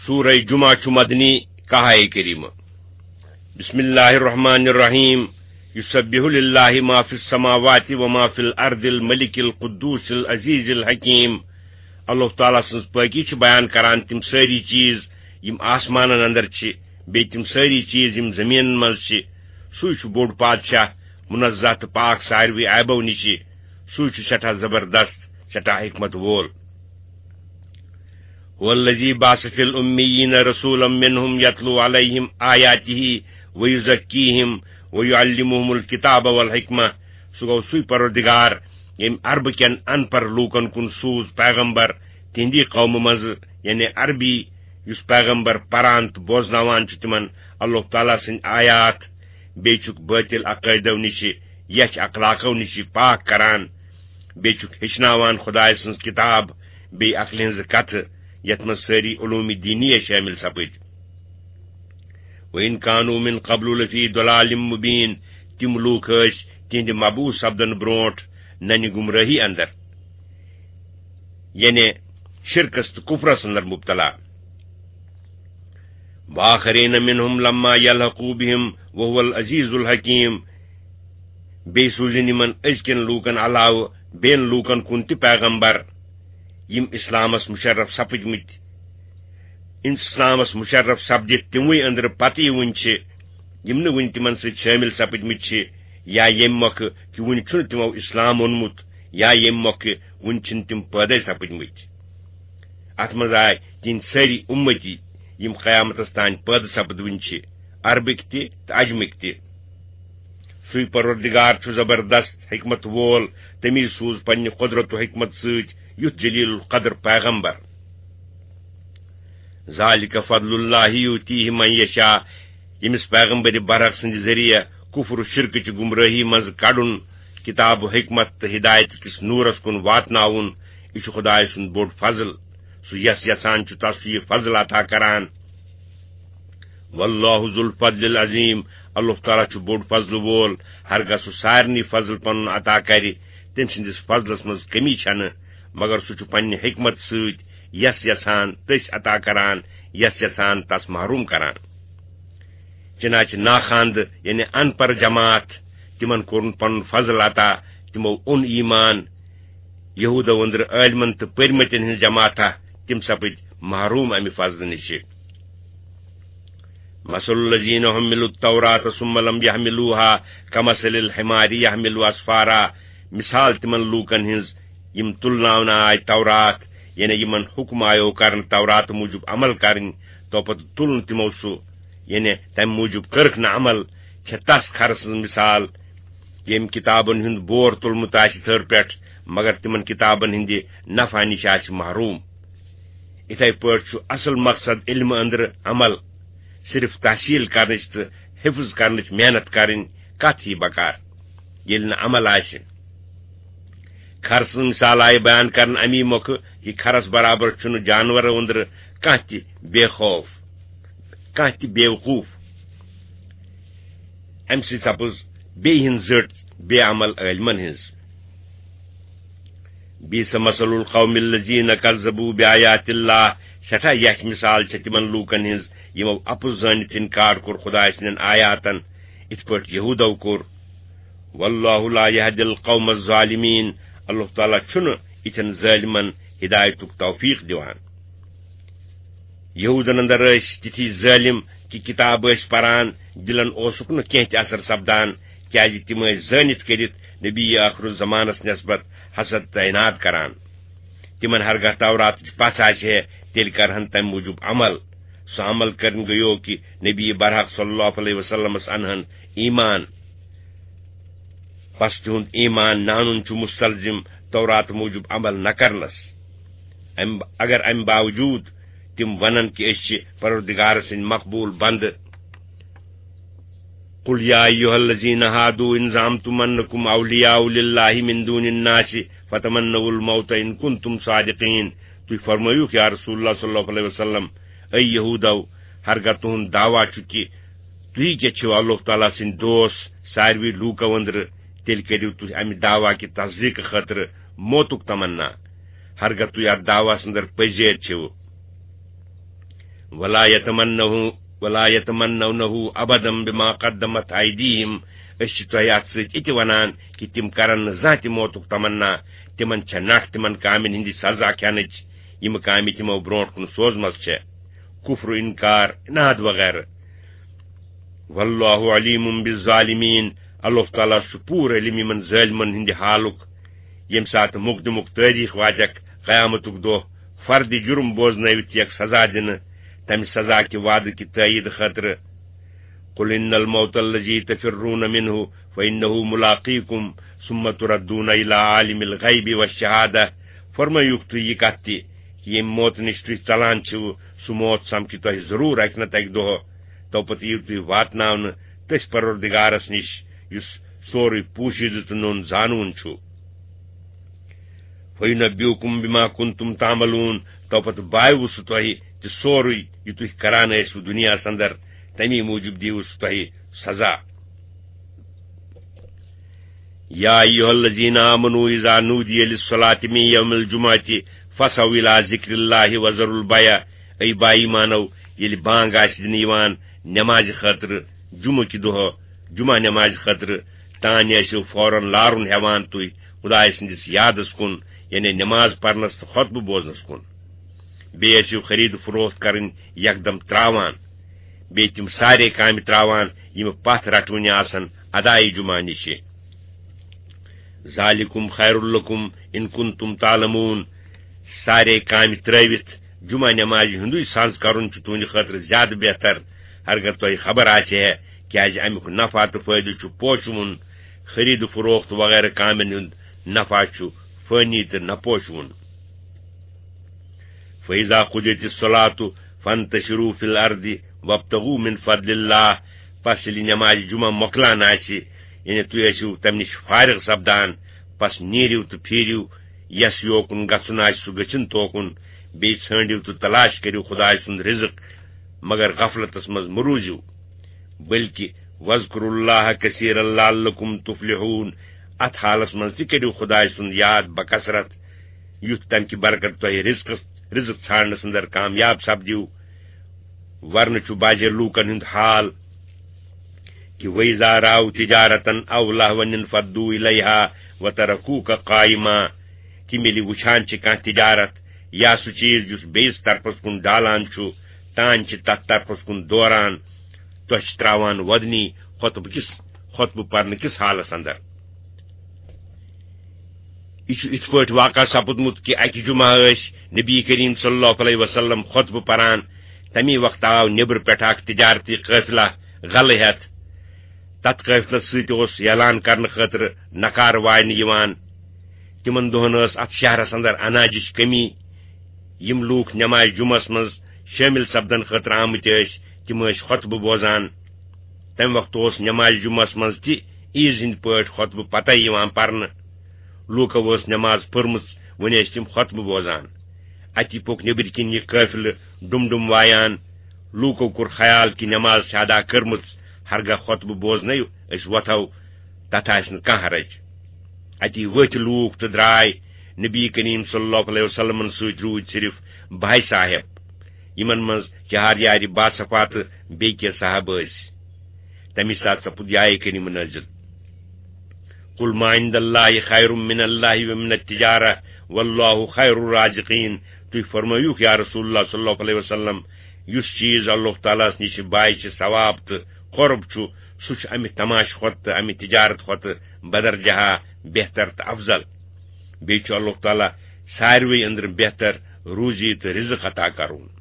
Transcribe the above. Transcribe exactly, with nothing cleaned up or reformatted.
سورہ جمعہ چھُ مدنی، کاہ آیہ کریمہ۔ بسم اللہ الرحمن الرحیم۔ یسبح للہ ما فی السماوات و ما فی الارض الملک القدوس العزیز الحکیم۔ اللہ تعالیٰ سٕنٛز پٲکی چھِ بیان کران تِم سٲری چیٖز یِم آسمانن اندر چھِ، بیٚیہِ تِم سٲری چیٖز یِم زٔمیٖنن منٛز چھِ۔ سُے چھُ بوٚڑ پادشاہ، منزہ تہٕ پاک ساروی عیبو نِشہِ۔ سُے چھُ سٮ۪ٹھاہ زبردست، سٮ۪ٹھاہ حکمت وول۔ هو الذي بعث في الأميين رسولا منهم يتلو عليهم آياته ويزكيهم ويعلمهم الكتاب والحكمة۔ سُہ گوٚو سُے پروردگار، ییٚمۍ عربہٕ کٮ۪ن ان پڑھ لوٗکن کُن سوٗز پیغمبر تِہنٛدی قومہٕ منٛزٕ، یعنی عربی، یُس پیغمبر پران تہٕ بوزناوان چھُ تِمن اللہ تعالیٰ سٕنٛدۍ آیات، بیٚیہِ چھُکھ بٲطِل عقٲیدو نِشہِ، یچھ اخلاقو نِشہِ پاک کران، بیٚیہِ چھُکھ ہیٚچھناوان خۄداے سٕنٛز کِتاب، بیٚیہِ عقلہِ ہٕنٛزٕ کتھٕ، یتھ منٛز سٲری علوم دینیہ شٲمِل سپٕدۍ۔ وَإِنْ كَانُوا مِنْ قَبْلُ لَفِي ضَلَالٍ مُبِينٍ۔ تِم لوٗکھ ٲسۍ تِہنٛدِ مبعوث سپدن برونٹھ ننہِ گمرٲہی اندر، یعنی شرکس تہٕ کفرس اندر مبتلا۔ وَآخَرِينَ مِنْهُمْ لَمَّا يَلْحَقُوا بِهِمْ وَهُوَ الْعَزِيزُ الْحَكِيمُ۔ بیٚیہِ سوٗزِن یِمن أزکٮ۪ن لوٗکن علاوٕ بیٚین لوٗکن کُن تہِ پیغمبر، یِم اسلامس مشرف سپٕدمٕتۍ۔ اسلامس مشرف سپدِتھ تِموٕے أنٛدرٕ پتہٕ یہِ وُنہِ چھِ، یِم نہٕ وُنہِ تِمن سۭتۍ شٲمِل سپٕدمٕتۍ چھِ، یا ییٚمہِ مۄکھٕ کہِ وُنہِ چھُنہٕ تِمو اسلام اوٚنمُت، یا ییٚمہِ مۄکھٕ وُنہِ چھِنہٕ تِم پٲدَے سپٕدمٕتۍ۔ اتھ منٛز آے تِہنٛدۍ سٲری اُمتی، یِم قیامتس تام پٲدٕ سپدوٕنۍ چھِ، عربٕکۍ تہِ تہٕ عجمٕکۍ تہِ۔ سُے پروردگار چھُ زبردست حکمت وول، تٔمی سوٗز پننہِ قدرت و حکمت سۭتۍ یُتھ جلیل القدر پیغمبر۔ ذَلِكَ فَضْلُ اللَّهِ يُؤْتِيهِ مَن يَشَاءُ۔ ییٚمِس پیغمبر برحق سٕنٛدِ ذٔریعہٕ کفر و شرکٕچہِ گمرٲہی منٛز کڑُن، کتاب و حکمت تہٕ ہدایت کِس نورس کُن واتناوُن، یہِ چھُ خدایہِ سُنٛد بوٚڑ فضل۔ سُہ یس یژھان چھُ، تس چھُ یہِ فضل عطا کران۔ وَاللَّهُ ذُو الْفَضْلِ الْعَظِيمِ۔ اللہ تعالیٰ چھُ بوٚڑ فضل وول، ہرگاہ سُہ سارنٕے فضل پنُن عطا کرِ، تٔمۍ سٕنٛدِس فضلس منٛز کمی چھنہٕ، مگر سُہ چھُ پننہِ حکمت سۭتۍ یس یژھان تٔسۍ عطا کران، یس یژھان تس محروم کران۔ چنانچہ ناخواندٕ، یعنی ان پڑھ جماعت، تِمن کوٚرُن پنُن فضل عطا، تِمو اوٚن ایمان، یہوٗدو أنٛدرٕ عٲلمن تہٕ پٔرمٕتٮ۪ن ہٕنٛز جماعتہ، تِم سپٕدۍ محروم امہِ فضلہٕ نِشہِ۔ مَثَلُ الَّذِينَ حُمِّلُوا التَّوْرَاةَ ثُمَّ لَمْ يَحْمِلُوهَا كَمَثَلِ الْحِمَارِ يَحْمِلُ أَسْفَارًا۔ مثال تِمن لوٗکن ہٕنٛز یِم تُلناونہٕ آے تورات، یعنی یِمن حُکم آیو کرنہٕ تورات موٗجوٗب عمل کرٕنۍ، تو پتہٕ تُل نہٕ تِمو سُہ، یعنی تمہِ موٗجوٗب کٔرٕکھ نہٕ عمل، چھےٚ تس کھرٕ سٕنٛز مثال، ییٚمۍ کتابن ہُنٛد بور تُلمُت آسہِ تھٔر پٮ۪ٹھ، مگر تِمن کتابن ہٕنٛدِ نفع نِش آسہِ محروم۔ یِتھے پٲٹھۍ چھُ اصل مقصد علمہٕ أنٛدرٕ عمل، صرف تحصیل کرنٕچ تہٕ حفظ کرنٕچ محنت کرٕنۍ، کتھ ہی بکار، ییٚلہِ نہٕ عمل آسہِ۔ کھرٕ سٕنٛز مثال آیہِ بیان کرنہٕ امی مۄکھٕ، یہِ کھرس برابر چھُنہٕ جانورو أنٛدرٕ کانٛہہ تہِ بے خوف، کانٛہہ تہِ بیوقوف۔ امہِ سۭتۍ سپٕز بیٚیہِ ہٕنٛز زٔٹ بے عمل عٲلمن ہٕنٛز۔ بئس مثل القوم الذين كذبوا بآيات الله۔ سٮ۪ٹھاہ یچھ مثال چھےٚ تِمن لوٗکن ہٕنٛز، یِمو اپُز زٲنِتھ انکار کوٚر خدایہِ سٕنٛدٮ۪ن آیاتن، یِتھ پٲٹھۍ یہودو کوٚر۔ والله لا يهدي القوم الظالمين۔ اللہ تعالیٰ چھُنہٕ یِتھٮ۪ن ظٲلمن ہدایتُک توفیق دِوان۔ یہودن اندر ٲسۍ تِتھی ظٲلم کہِ کتاب ٲسۍ پران، دلن اوسُکھ نہٕ کینٛہہ تہِ اثر سپدان، کیازِ تِم ٲسۍ زٲنِتھ کٔرِتھ نبی ٲخر الزمانس نسبت حسد تہٕ عناد کران۔ تِمن ہرگاہ توراتٕچ پژھ آسہِ ہے، تیٚلہِ کرہن تمہِ موٗجوٗب عمل۔ سُہ عمل کرن گٔیو کہِ نبی برحق صلی اللہ علیہ وسلمس انہن ایمان۔ پس تِہُنٛد ایمان نہ انُن چھُ مستلزم تورات موٗجوٗب عمل نہ کرنس۔ امہِ، اگر امہِ باوجوٗد تِم ونن کہِ أسۍ چھِ پروردگار سٕنٛدۍ مقبوٗل بندٕ، قل يا أيها الذين هادوا إن زعمتم أنكم أولياء لله من دون الناس فتمنوا الموت إن كنتم صادقين۔ تُہۍ فرمٲیِو یا رسول اللہ صلی اللہ علیہ وسلم، اے یہودو، ہرگاہ تُہُنٛد دعویٰ چھُ کہِ تُہۍ کیٛاہ چھِو اللہ تعالیٰ سٕنٛدۍ دوس ساروی لوٗکو أنٛدرٕ، تیٚلہِ کٔرِو تُہۍ امہِ دعویٰ کہِ تصدیٖق خٲطرٕ موتُک تمنا، ہرگاہ تُہۍ اتھ دعویٰ سٕنٛدر پٔزۍ چھِو۔ ولا يتمنه، ولا يتمنونه أبدا بما قدمت أيديهم۔ أسۍ چھِ تۄہہِ اَتھ سۭتۍ یہِ تہِ وَنان کہِ تِم کَرَن نہٕ زانٛہہ تہِ موتُک تمنا۔ تِمَن چھےٚ نَٹھ تِمَن کامٮ۪ن ہٕنٛدِ سزا کھٮ۪نٕچ، یِم کامہِ تِمو برونٛٹھ کُن سوزمَژٕ چھےٚ، کُفر، اِنکار، عناد وغیرہ۔ واللہ علیم بالظالمین، اللہ تعالیٰ چھُ پوٗرٕ علم یِمن ظٲلمن ہٕنٛدِ حالُک۔ ییٚمہِ ساتہٕ مقدمُک تٲریخ واتٮ۪کھ، قیامتُک دۄہ، فردِ جُرم بوزنٲوِتھ یِیَکھ سزا دِنہٕ، تمہِ سزا کہِ وعدٕ کہِ تٲیید خٲطرٕ۔ قل ان الموت الذي تفرون منه فانه ملاقيكم ثم تردون الى عالم الغيب والشهادة۔ فرمٲیِو تُہۍ یہِ کتھ تہِ، ییٚمہِ موتہٕ نِش تُہۍ ژلان چھِو، سُہ موت سمکھِ تۄہہِ ضروٗر اکہِ نتہٕ اکہِ دۄہ۔ تو پتہٕ یِیِو تُہۍ واتناونہٕ تٔتھۍ پروردگارس نِش، یُس سورُے پوٗشیدٕ تہٕ نوٚن زانوُن چھُ۔ فینبئکم بما کنتم تعملون، تو پتہٕ بایوٕ سُہ تۄہہِ تہِ سورُے، یہِ تُہۍ کران ٲسِو دُنیاہس اندر، تمی موٗجوٗب دِیوٕ سُہ تۄہہِ سزا۔ یا ایھا الذین آمنوا اذا نودی للصلاة من یوم الجمعة فاسعوا الی ذکر اللہ وذروا البیع۔ اے با ایمانو، ییٚلہِ بانگ آسہِ دِنہٕ یِوان نمازِ خٲطرٕ جمعہ کہِ دۄہ، جمعہ نمازِ خٲطرٕ، تانۍ ٲسِو فوراً لارُن ہٮ۪وان تُہۍ خدایہِ سٕنٛدِس یادس کُن، یعنی نماز پرنس تہٕ خطبہٕ بوزنس کُن۔ بیٚیہِ ٲسِو خرید فروخت کرٕنۍ یکدم تراوان۔ بیٚیہِ تِم سارے کامہِ تراوان، یِم پتھ رٹوٕنہِ آسن ادائے جمعہ نِشہِ۔ ذالکم خیر لکم ان کنتم تعلمون۔ سارے کامہِ ترٲوِتھ جمعہ نمازِ ہُنٛدُے سنز کرُن چھُ تُہنٛدِ خٲطرٕ زیادٕ بہتر، ہرگاہ تۄہہِ خبر آسہِ ہے، کیازِ امیُک نفع تہٕ فٲیدٕ چھُ پوشوُن، خرید فروخت وغیرہ کامٮ۪ن ہُنٛد نفع چھُ فٲنی تہٕ نہ پوشوُن۔ فَإِذَا قُضِيَتِ الصَّلَاةُ فَانتَشِرُوا فِي الْأَرْضِ وَابْتَغُوا مِنْ فَضْلِ اللَّهِ۔ پس ییٚلہِ نماز جمعہ مۄکلان آسہِ، یعنی تُہۍ ٲسِو تمہِ نِش فارغ سپدان، پس نیٖرِو تہٕ پھیٖرِو یس یوکُن گژھُن آسہِ سُہ گٔژھِن توکُن، بیٚیہِ ژھٲنٛڈِو تہٕ تلاش کٔرِو خدایہِ سُنٛد رزق، مگر غفلتس منٛز مہ روٗزِو۔ بلکہ وَاذْكُرُوا اللَّهَ كَثِيرًا لَعَلَّكُمْ تُفْلِحُونَ۔ اتھ حالس منٛز تہِ کٔرِو خدایہِ سُنٛد یاد بکثرت، یُتھ تمہِ کہِ برکت تۄہہِ رزقس، رزق ژھانڈنس اندر کامیاب سپدِو۔ ورنہٕ چھُ بعضے لوٗکن ہُنٛد حال کہِ وَإِذَا رَأَوْا تِجَارَةً أَوْ لَهْوًا انْفَضُّوا إِلَيْهَا وَتَرَكُوكَ قَائِمًا۔ تِم ییٚلہِ وٕچھان چھِ کانٛہہ تجارت یا سُہ چیٖز یُس بیٚیِس طرفس کُن ڈالان چھُ، تانۍ چھِ تتھ طرفس کُن دوران، تۄہہِ چھِ تراوان وۄدنی خطبہٕ کِس، خطبہٕ پرنہٕ کِس حالس اندر۔ یہِ چھُ یِتھ پٲٹھۍ واقعہ سپُدمُت کہِ اکہِ جمعہ ٲسۍ نبی کریم صلی اللہ علیہ وسلم خطبہٕ پران۔ تمی وقتہٕ آو نیبرٕ پٮ۪ٹھ اکھ تجارتی قٲفلہ غلہٕ ہٮ۪تھ۔ تتھ قٲفلس سۭتۍ اوس اعلان کرنہٕ خٲطرٕ نقارٕ واینہٕ یِوان۔ تِمن دۄہن ٲس اتھ شہرس اندر اناجٕچ کمی۔ یِم لوٗکھ نماز جمعس منٛز شٲمِل سپدن خٲطرٕ آمٕتۍ ٲسۍ، تِم ٲسۍ خطبہٕ بوزان۔ تمہِ وقتہٕ اوس نماز جمعس منٛز تہِ عیٖز ہٕنٛدۍ پٲٹھۍ خطبہٕ پتَے یِوان پرنہٕ۔ لوٗکو ٲس نماز پٔرمٕژ، وۄنۍ ٲسۍ تِم خطبہٕ بوزان۔ اتی پوٚک نیٚبٕرۍ کِنۍ یہِ قٲفلہٕ ڈُم ڈُم وایان۔ لوٗکو کوٚر خیال کہِ نماز چھِ ادا کٔرمٕژ، ہرگاہ خطبہٕ بوزنَے أسۍ وۄتھو، تتھ آسہِ نہٕ کانٛہہ حرج۔ اتی ؤتھۍ لوٗکھ تہٕ درٛاے نبی کریم صلی اللہ علیہ وسلمن سۭتۍ روٗدۍ صرف بھائی صاحب، یِمن منٛز چار یارِ باصفا تہٕ بیٚیہِ کینٛہہ صاحب ٲسۍ۔ تَمی ساتہٕ سپُد یہِ آیہِ کریمہ نٲزِل، "قل ما عند اللہ خیر من اللہ ومن التجارہ واللہ خیر الرازقین۔" تُہۍ فرمٲیِو یا رسول اللہ صلی اللہ علیہ وسلم، یُس چیٖز اللہ تعالیٰ ہس نِش بایہِ چھِ ثواب تہٕ قرب چھُ، سُہ چھُ امہِ تماشہٕ کھۄتہٕ تہٕ امہِ تجارت کھۄتہٕ بدرجہ بہتر تہٕ افضل۔ بیٚیہِ چھُ اللہ تعالیٰ ساروٕے أنٛدرٕ بہتر روزی تہٕ رزق عطا کرُن۔